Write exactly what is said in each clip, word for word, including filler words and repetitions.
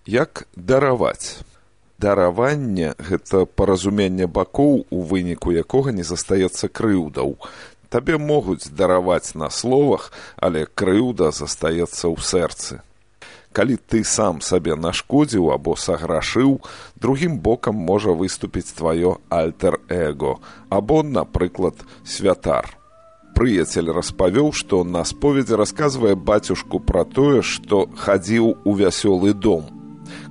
Як дараваць? Дараванне – гэта паразуменне бакоў, у выніку якога не застаецца крыўдаў. Табе могуць дараваць на словах, але крыўда застаецца ў сэрцы. Калі ты сам сабе нашкодзіў або саграшыў, другім бокам можа выступіць тваё альтер-эго, або, напрыклад, святар. Прыяцель распавёў, што на споведзі расказвае бацюшку пра тое, што хадзіў у вясёлы дом.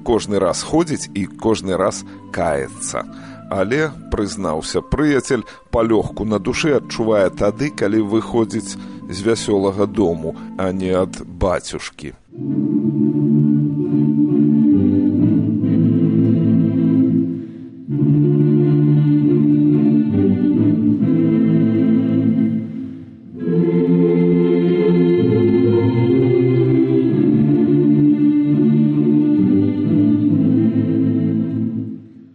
Кожны раз ходзіць і кожны раз каецца. Але, прызнаўся прыяцель, палёгку на душы адчувае тады, калі выходзіць з вясёлага дому, а не ад бацюшкі.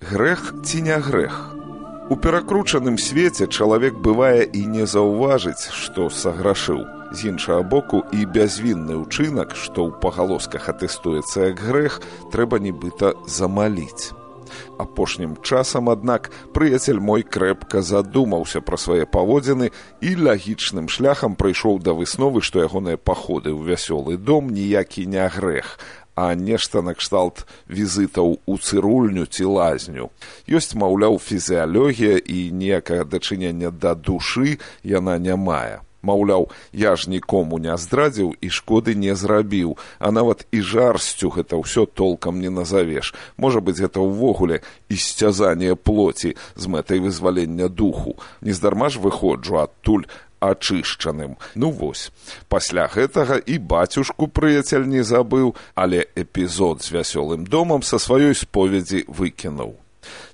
Грэх ці не грэх? У перакручаным свеце чалавек бывае і не заўважыць, што саграшыў. З іншага боку, і бязвінны ўчынак, што ў пагалосках атэстуецца як грэх, трэба нібыта замаліць. Апошнім часам, аднак, прыяцель мой крэпка задумаўся пра свае паводзіны і лагічным шляхам прыйшоў да высновы, што ягоныя паходы ў вясёлы дом ніякі не грэх, а нешта накшталт візітаў у цырульню ці лазню. Ёсць, маўляў, фізіялогія і ніякага дачынення да душы яна не мае. Маўляў, я ж нікому не здрадзіў і шкоды не зрабіў, а нават і жарсцю гэта ўсё толкам не назавеш. Можа быць, гэта ўвогуле ісцязанне плоці з мэтай вызвалення духу. Нездарма ж выходжу адтуль ачышчаным. Ну вось, пасля гэтага і бацюшку прыяцель не забыў, але эпізод з вясёлым домам са сваёй споведзі выкінуў.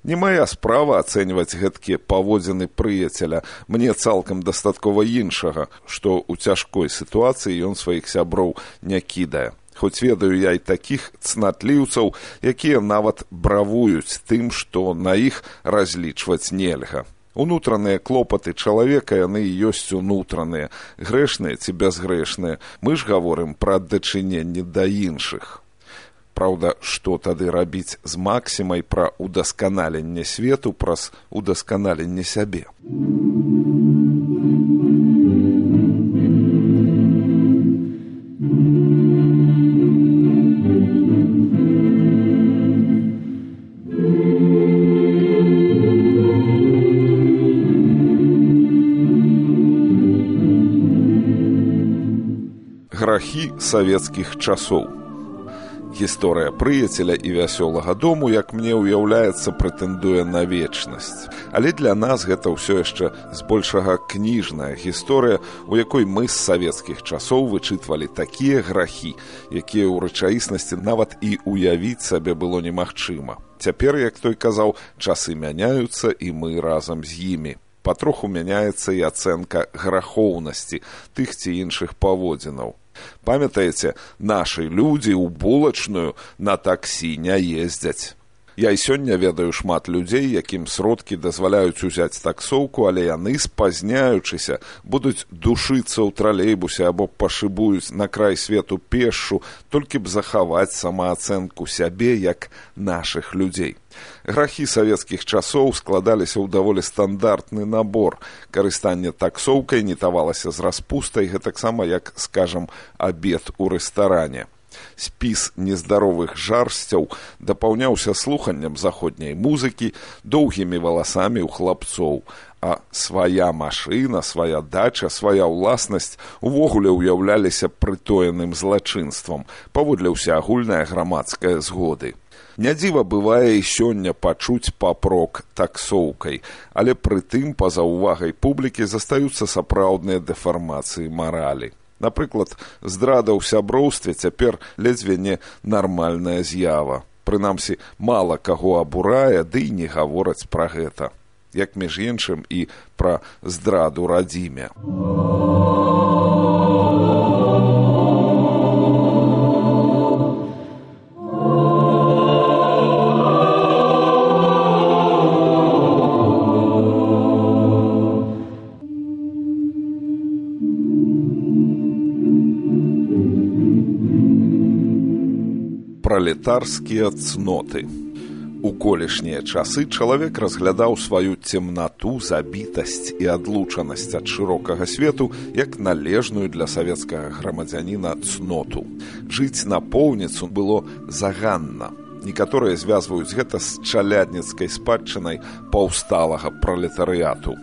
Не мая справа ацэньваць гэткія паводзіны прыяцеля. Мне цалкам дастаткова іншага, што ў цяжкой сітуацыі ён сваіх сяброў не кідае. Хоць ведаю я і такіх цнатліўцаў, якія нават бравуюць тым, што на іх разлічваць нельга. Унутраныя клопаты чалавека, яны і ёсць унутраныя, грэшныя ці бязгрэшныя. Мы ж гаворым пра дачыненне да іншых. Праўда, што тады рабіць з максімай пра удасканаленне свету праз удасканаленне сябе? Грахі савецкіх часоў. Гісторыя прыяцеля і вясёлага дому, як мне ўяўляецца, прэтэндуе на вечнасць. Але для нас гэта ўсё яшчэ збольшага кніжная гісторыя, у якой мы з савецкіх часоў вычытвалі такія грахі, якія ў рэчаіснасці нават і ўявіць сабе было немагчыма. Цяпер, як той казаў, часы мяняюцца, і мы разам з імі. Патроху мяняецца і ацэнка грахоўнасці тых ці іншых паводзінаў. Памятаеце, нашы людзі ў булачную на таксі не ездзяць. Я і сёння ведаю шмат людзей, якім сродкі дазваляюць узяць таксоўку, але яны, спазняючыся, будуць душыцца ў тралейбусе або пашыбуюць на край свету пешшу, толькі б захаваць самаацэнку сябе як нашых людзей. Грахі савецкіх часоў складаліся ў даволі стандартны набор. Карыстанне таксоўкай не тавалася з распустай, гэтаксама як, скажам, абед у рэстаране. Спіс нездаровых жарсцяў дапаўняўся слуханнем заходняй музыкі, доўгімі валасамі ў хлапцоў, а свая машына, свая дача, свая ўласнасць увогуле ўяўляліся прытоеным злачынствам, паводле ўсеагульнай грамадскай згоды. Нядзіва бывае і сёння пачуць папрок таксоўкай, але прытым, па-за ўвагай публікі, застаюцца сапраўдныя дэфармацыі маралі. Напрыклад, здрада ў сяброўстве цяпер ледзьве не нармальная з'ява. Прынамсі, мала каго абурае, ды і не гавораць пра гэта. Як, між іншым, і пра здраду радзіме. Пра Пралетарскія цноты. У колішнія часы чалавек разглядаў сваю цемнату, забітасць і адлучанасць ад шырокага свету як належную для савецкага грамадзяніна цноту. Жыць напоўніцу было заганна. Некаторыя звязваюць гэта з чалядніцкай спадчынай паўсталага пралетарыяту.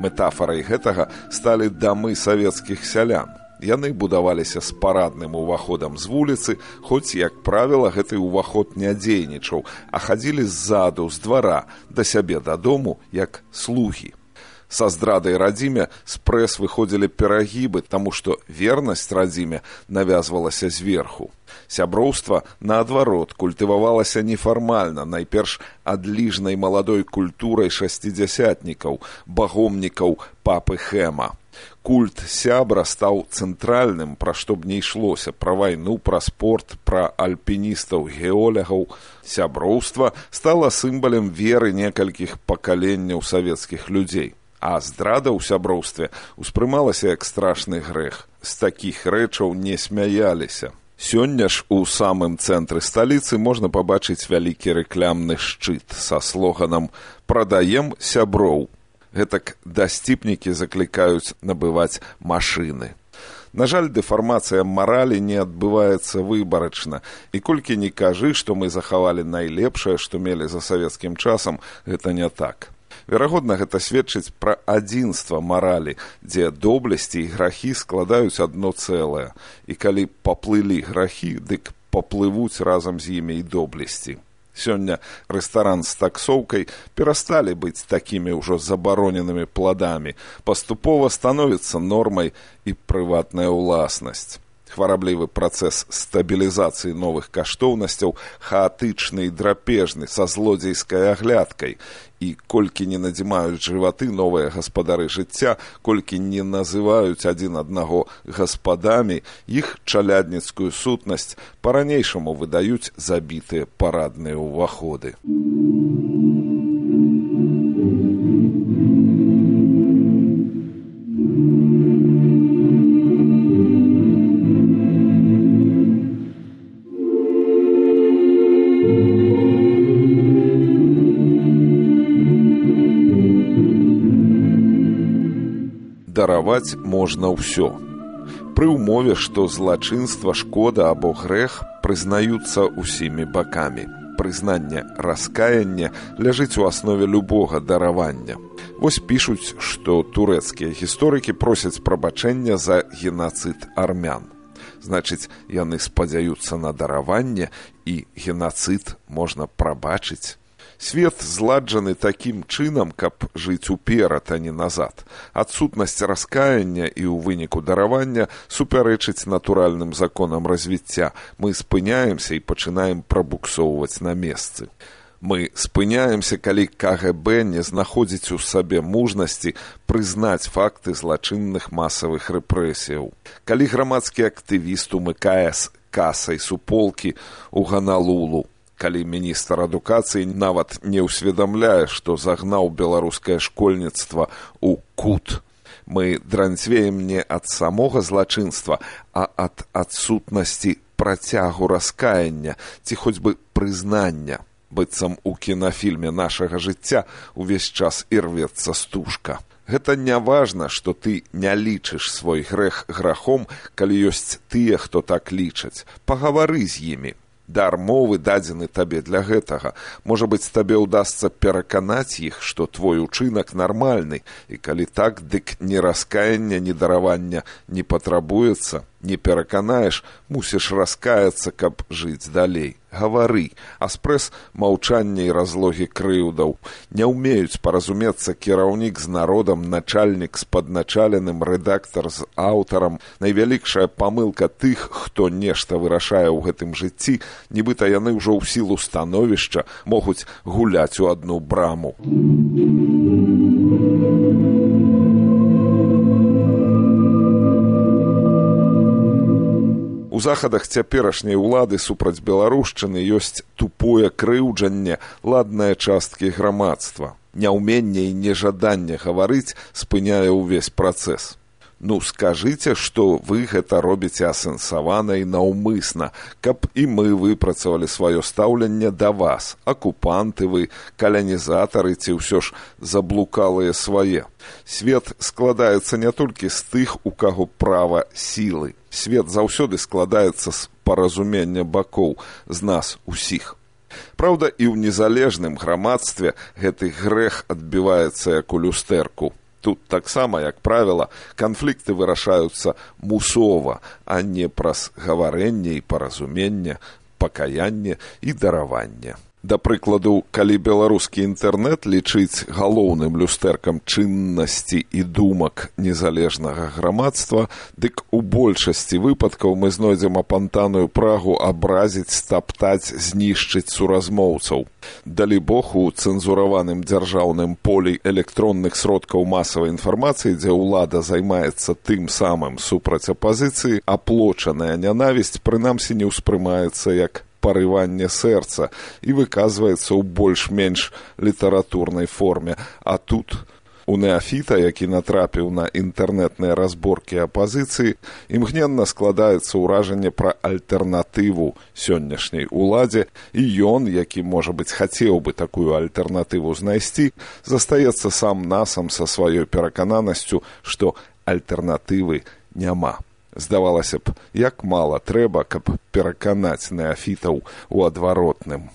Метафарай гэтага сталі дамы савецкіх сялян. Яны будаваліся з парадным уваходам з вуліцы, хоць, як правіла, гэты ўваход не дзейнічаў, а хадзілі ззаду, з двара, да сябе дадому, як слугі. Са здрадай радзіме з прэс выходзілі перагібы, таму што вернасць радзіме навязвалася зверху. Сяброўства, наадварот, культывавалася нефармальна, найперш адліжнай маладой культурай шасцідзясятнікаў, багомнікаў папы Хэма. Культ сябра стаў цэнтральным, пра што б не ішлося, пра вайну, пра спорт, пра альпіністаў, геолягаў. Сяброўства стала сімвалам веры некалькіх пакаленняў савецкіх людзей. А здрада ў сяброўстве ўспрымалася як страшны грэх. З такіх рэчаў не смяяліся. Сёння ж у самым цэнтры сталіцы можна пабачыць вялікі рэклямны шчыт са слоганам «Прадаем сяброў». Гэтак дасціпнікі заклікаюць набываць машыны. На жаль, дэфармацыя маралі не адбываецца выбарачна. І колькі не кажы, што мы захавалі найлепшае, што мелі за савецкім часам, гэта не так. Верагодна, гэта сведчыць пра адзінства маралі, дзе доблесці і грахі складаюць адно цэлае. І калі паплылі грахі, дык паплывуць разам з імі і доблесці. Сёння рэстаран з таксоўкай перасталі быць такімі ўжо забароненымі пладамі. Паступова становіцца нормай і прыватная ўласнасць. Хвараблівы працэс стабілізацыі новых каштоўнасцяў хаатычны і драпежны, са злодзейскай аглядкай. І колькі не надзімаюць жываты новыя гаспадары жыцця, колькі не называюць адзін аднаго гаспадамі, іх чалядніцкую сутнасць па-ранейшаму выдаюць забітыя парадныя ўваходы. Дараваць можна ўсё. Пры ўмове, што злачынства, шкода або грэх прызнаюцца ўсімі бакамі. Прызнанне раскаяння ляжыць у аснове любога даравання. Вось пішуць, што турэцкія гісторыкі просяць прабачэння за генацыд армян. Значыць, яны спадзяюцца на дараванне, і генацыд можна прабачыць. Свет зладжаны такім чынам, каб жыць уперад, а не назад. Адсутнасць раскаяння і ў выніку даравання супярэчыць натуральным законам развіцця. Мы спыняемся і пачынаем прабуксоўваць на месцы. Мы спыняемся, калі ка гэ бэ не знаходзіць у сабе мужнасці прызнаць факты злачынных масавых рэпрэсіяў. Калі грамадскі актывіст умыкае з касай суполкі ў Ганалулу, калі міністр адукацыі нават не ўсведамляе, што загнаў беларускае школьніцтва ў кут. Мы дранцвеем не ад самога злачынства, а ад адсутнасці працягу раскаяння ці хоць бы прызнання. Быццам у кінафільме нашага жыцця увесь час ірвецца стужка. Гэта не важна, што ты не лічыш свой грэх грахом, калі ёсць тыя, хто так лічаць. Пагавары з імі. Дар мовы дадзены табе для гэтага. Можа быць, табе ўдасца пераканаць іх, што твой учынак нармальны, і калі так, дык ні раскаяння, ні даравання не патрабуецца. Не пераканаеш, мусіш раскаяцца, каб жыць далей. Гавары, а спрэс маўчання і разлогі крыўдаў. Не ўмеюць паразумецца кіраўнік з народам, начальнік з падначаленым, рэдактар з аўтарам. Найвялікшая памылка тых, хто нешта вырашае ў гэтым жыцці, нібыта яны ўжо ў сілу становішча могуць гуляць у адну браму. У захадах цяперашняй улады супраць беларушчыны ёсць тупое крыўджанне ладнае часткі грамадства. Няўменне і нежаданне гаварыць спыняе ўвесь працэс. Ну, скажыце, што вы гэта робіце асэнсавана і наўмысна, каб і мы выпрацавалі сваё стаўленне да вас. Акупанты вы, каланізатары ці ўсё ж заблукалыя свае. Свет складаецца не толькі з тых, у каго права сілы. Свет заўсёды складаецца з паразумення бакоў, з нас усіх. Праўда, і ў незалежным грамадстве гэты грэх адбіваецца як у люстэрку. Тут таксама, як правіла, канфлікты вырашаюцца мусова, а не праз гаварэнне і паразуменне, пакаянне і дараванне. Да прыкладу, калі беларускі інтэрнэт лічыць галоўным люстэркам чыннасці і думак незалежнага грамадства, дык у большасці выпадкаў мы знойдзем апантаную прагу абразіць, стаптаць, знішчыць суразмоўцаў. Далібог, у цэнзураваным дзяржаўным полі электронных сродкаў масавай інфармацыі, дзе ўлада займаецца тым самым супраць апазіцыі, аплочаная нянавісць прынамсі не ўспрымаецца як парыванне сэрца і выказваецца ў больш-менш літаратурнай форме. А тут у неафіта, які натрапіў на інтэрнэтныя разборкі апазіцыі, імгненна складаецца ўражанне пра альтэрнатыву сённяшняй уладзе, і ён, які, можа быць, хацеў бы такую альтэрнатыву знайсці, застаецца сам-насам са сваёй перакананасцю, што альтэрнатывы няма. Здавалася б, як мала трэба, каб пераканаць неафітаў у адваротным.